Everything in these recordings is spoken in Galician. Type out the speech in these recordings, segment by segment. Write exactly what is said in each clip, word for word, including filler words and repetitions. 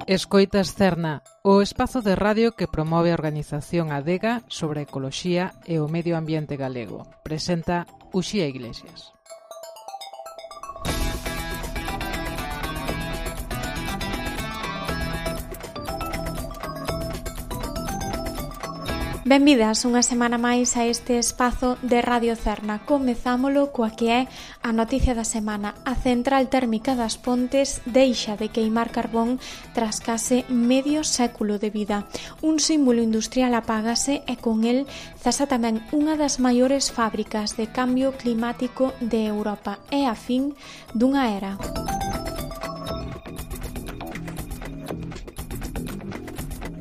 Escoitas Cerna, o espazo de radio que promove a organización Adega sobre a ecoloxía e o medio ambiente galego. Presenta Uxía Iglesias. Benvidas unha semana máis a este espazo de Radio Cerna. Comezámolo coa que é a noticia da semana. A central térmica das Pontes deixa de queimar carbón tras case medio século de vida. Un símbolo industrial apágase e con el cesa tamén unha das maiores fábricas de cambio climático de Europa. É a fin dunha era.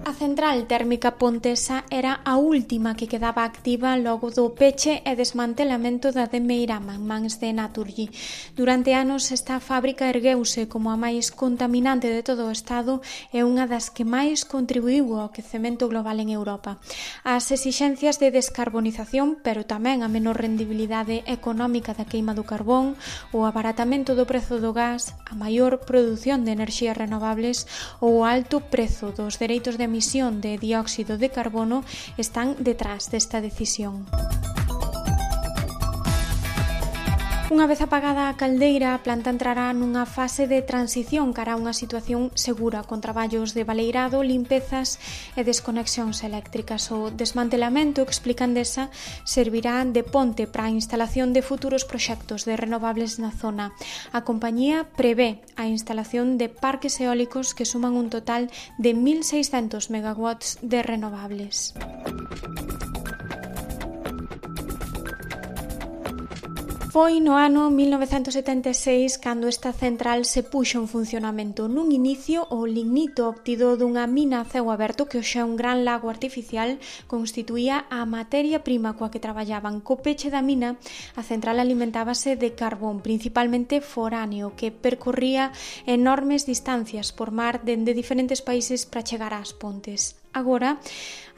A central térmica pontesa era a última que quedaba activa logo do peche e desmantelamento da de Meirama en mans de Naturgy. Durante anos esta fábrica ergueuse como a máis contaminante de todo o Estado e unha das que máis contribuiu ao quecemento global en Europa. As exixencias de descarbonización, pero tamén a menor rendibilidade económica da queima do carbón, o abaratamento do prezo do gas, a maior produción de enerxías renovables ou o alto prezo dos dereitos de emisión de dióxido de carbono están detrás desta decisión. Unha vez apagada a caldeira, a planta entrará nunha fase de transición cara a unha situación segura, con traballos de baleirado, limpezas e desconexións eléctricas. O desmantelamento, explica Endesa, servirá de ponte para a instalación de futuros proxectos de renovables na zona. A compañía prevé a instalación de parques eólicos que suman un total de mil seiscentos megawatts de renovables. Foi no ano mil novecentos setenta e seis cando esta central se puxo en funcionamento. Nun inicio, o lignito obtido dunha mina a ceo aberto, que hoxe é un gran lago artificial, constituía a materia prima coa que traballaban. Co peche da mina, a central alimentábase de carbón, principalmente foráneo, que percorría enormes distancias por mar dende diferentes países para chegar ás Pontes. Agora,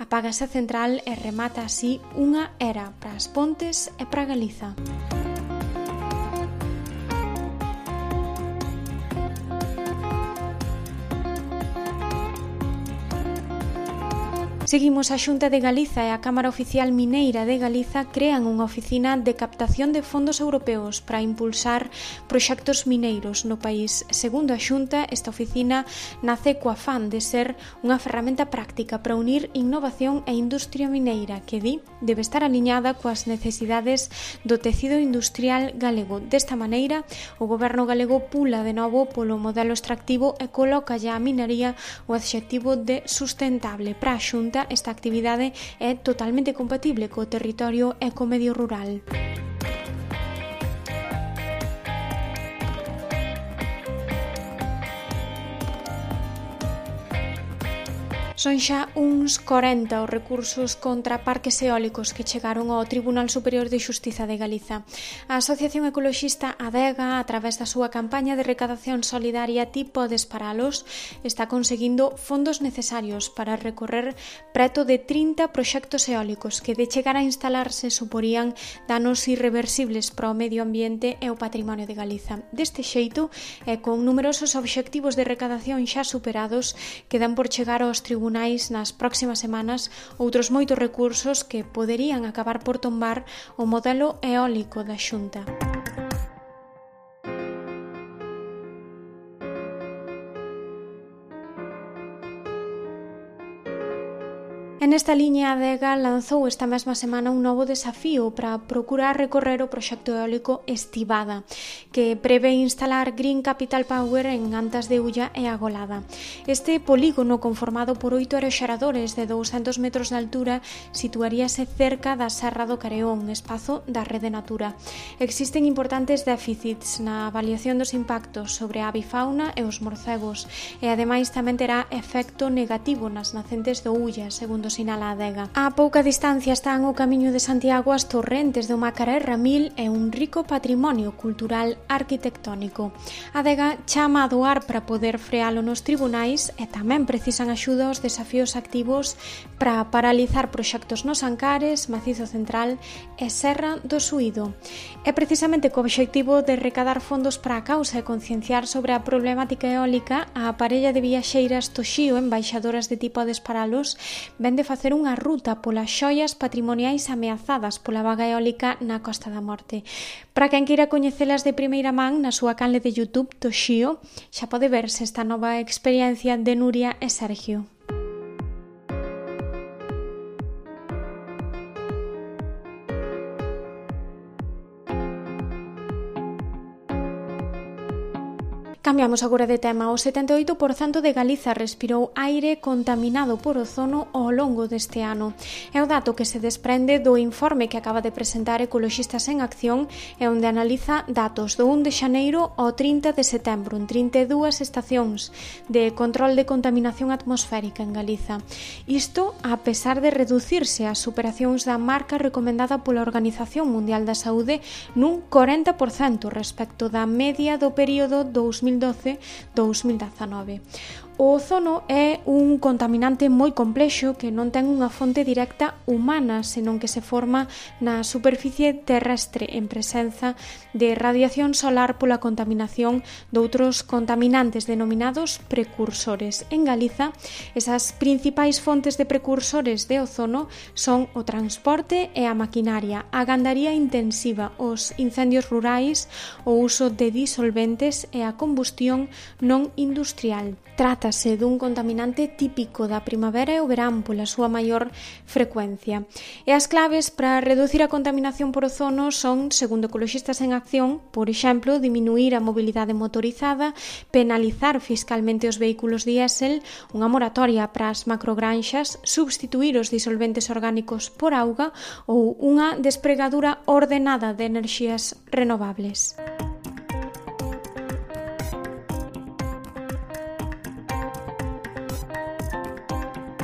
apágase a central e remata así unha era para as Pontes e para Galiza. Seguimos. A Xunta de Galiza e a Cámara Oficial Mineira de Galiza crean unha oficina de captación de fondos europeos para impulsar proxectos mineiros no país. Segundo a Xunta, esta oficina nace co afán de ser unha ferramenta práctica para unir innovación e industria mineira que, di, debe estar aliñada coas necesidades do tecido industrial galego. Desta maneira, o goberno galego pula de novo polo modelo extractivo e coloca a minería o adxectivo de sustentable. Para a Xunta, esta actividade é totalmente compatible co territorio e co medio rural. Son xa uns corenta os recursos contra parques eólicos que chegaron ao Tribunal Superior de Xustiza de Galiza. A Asociación Ecoloxista Adega, a través da súa campaña de recadación solidaria Ti podes paralos, está conseguindo fondos necesarios para recorrer preto de trinta proxectos eólicos que, de chegar a instalarse, suporían danos irreversibles para o medio ambiente e o patrimonio de Galiza. Deste xeito, e con numerosos obxectivos de recadación xa superados, quedan por chegar aos tribunais nas próximas semanas outros moitos recursos que poderían acabar por tombar o modelo eólico da Xunta. En esta liña, a Adega lanzou esta mesma semana un novo desafío para procurar recorrer o proxecto eólico Estivada, que prevé instalar Green Capital Power en Antas de Ulla e Agolada. Este polígono, conformado por oito aeroxeradores de douscentos metros de altura, situaríase cerca da Serra do Careón, espazo da Rede Natura. Existen importantes déficits na avaliación dos impactos sobre a avifauna e os morcegos, e ademais tamén terá efecto negativo nas nacentes do Ulla, segundo sinala a adega. A pouca distancia están o camiño de Santiago as torrentes do Macaré Ramil e un rico patrimonio cultural arquitectónico. A adega chama a doar para poder frealo nos tribunais e tamén precisan axuda aos desafíos activos para paralizar proxectos nos Ancares, Macizo Central e Serra do Suído. É precisamente co obxectivo de recadar fondos para a causa e concienciar sobre a problemática eólica, a parella de viaxeiras Toxío, embaixadoras de tipo a Desparalos, ven de facer unha ruta polas xoias patrimoniais ameazadas pola vaga eólica na Costa da Morte. Para quen queira coñecelas de primeira man, na súa canle de YouTube Toxío, xa pode verse esta nova experiencia de Nuria e Sergio. Cambiamos agora de tema. O setenta e oito por cento de Galiza respirou aire contaminado por ozono ao longo deste ano. É o dato que se desprende do informe que acaba de presentar Ecoloxistas en Acción e onde analiza datos do un de xaneiro ao trinta de setembro en trinta e dúas estacións de control de contaminación atmosférica en Galiza. Isto a pesar de reducirse as superacións da marca recomendada pola Organización Mundial da Saúde nun corenta por cento respecto da media do período dous mil doce a dous mil dezanove. O ozono é un contaminante moi complexo que non ten unha fonte directa humana, senón que se forma na superficie terrestre en presenza de radiación solar pola contaminación doutros contaminantes denominados precursores. En Galiza, esas principais fontes de precursores de ozono son o transporte e a maquinaria, a gandaría intensiva, os incendios rurais, o uso de disolventes e a combustión non industrial. Trátase dun contaminante típico da primavera e o verán pola súa maior frecuencia. E as claves para reducir a contaminación por ozono son, segundo Ecoloxistas en Acción, por exemplo, diminuir a mobilidade motorizada, penalizar fiscalmente os vehículos diésel, unha moratoria para as macrogranxas, substituir os disolventes orgánicos por auga ou unha despregadura ordenada de enerxías renovables.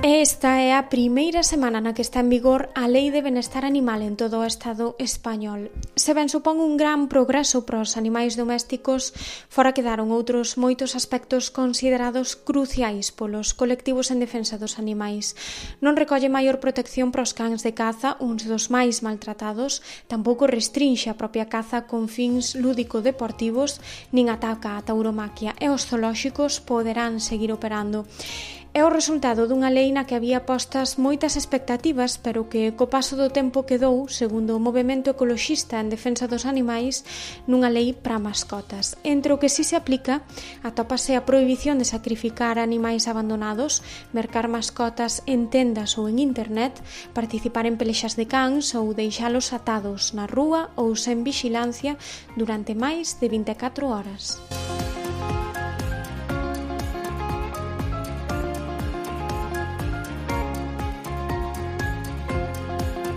Esta é a primeira semana na que está en vigor a Lei de Benestar Animal en todo o Estado español. Se ben supón un gran progreso para os animais domésticos, fora quedaron outros moitos aspectos considerados cruciais polos colectivos en defensa dos animais. Non recolle maior protección para os cans de caza, uns dos máis maltratados, tampouco restrinxe a propia caza con fins lúdico-deportivos, nin ataca a tauromaquia, e os zoolóxicos poderán seguir operando. É o resultado dunha lei na que había postas moitas expectativas, pero que co paso do tempo quedou, segundo o movemento ecoloxista en defensa dos animais, nunha lei para mascotas. Entre o que si se aplica, atópase a prohibición de sacrificar animais abandonados, mercar mascotas en tendas ou en internet, participar en pelexas de cans ou deixalos atados na rúa ou sen vixilancia durante máis de vinte e catro horas.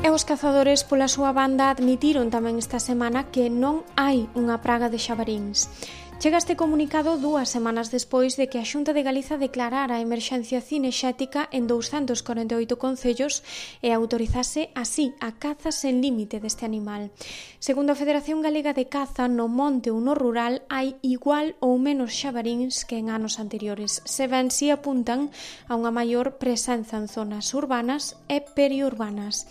E os cazadores, pola súa banda, admitiron tamén esta semana que non hai unha praga de xabaríns. Chega este comunicado dúas semanas despois de que a Xunta de Galiza declarara a emerxencia cinexética en douscentos corenta e oito concellos e autorizase así a caza sen límite deste animal. Segundo a Federación Galega de Caza, no monte ou no rural hai igual ou menos xabaríns que en anos anteriores, se ben si apuntan a unha maior presenza en zonas urbanas e periurbanas.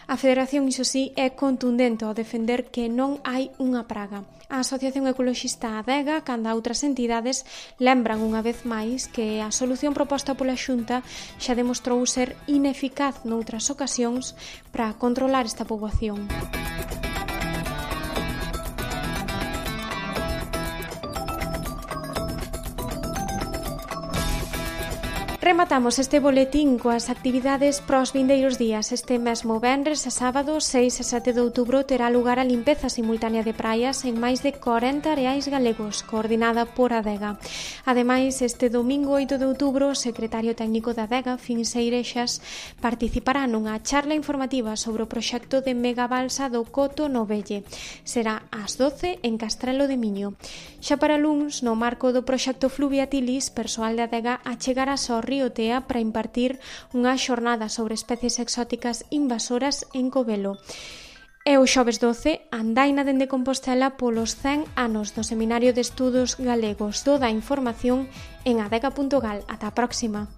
A Federación, iso sí, é contundente ao defender que non hai unha praga. A Asociación Ecoloxista Adega, canda outras entidades, lembran unha vez máis que a solución proposta pola Xunta xa demostrou ser ineficaz noutras ocasións para controlar esta poboación. Rematamos este boletín coas actividades pros vindeiros días. Este mesmo venres e sábado, seis e sete de outubro, terá lugar a limpeza simultánea de praias en máis de corenta areais galegos, coordinada por Adega. Ademais, este domingo oito de outubro, o secretario técnico da Adega, Fins Eirexas, participará nunha charla informativa sobre o proxecto de megabalsa do Coto no Velle. Será ás doce en Castrelo de Miño. Xa para luns, no marco do proxecto Fluviatilis, persoal de Adega achegará ao Río Tea para impartir unha xornada sobre especies exóticas invasoras en Covelo. E o xoves doce, andaina dende Compostela polos cen anos do Seminario de Estudos Galegos. Toda a información en adega punto gal. Ata a próxima.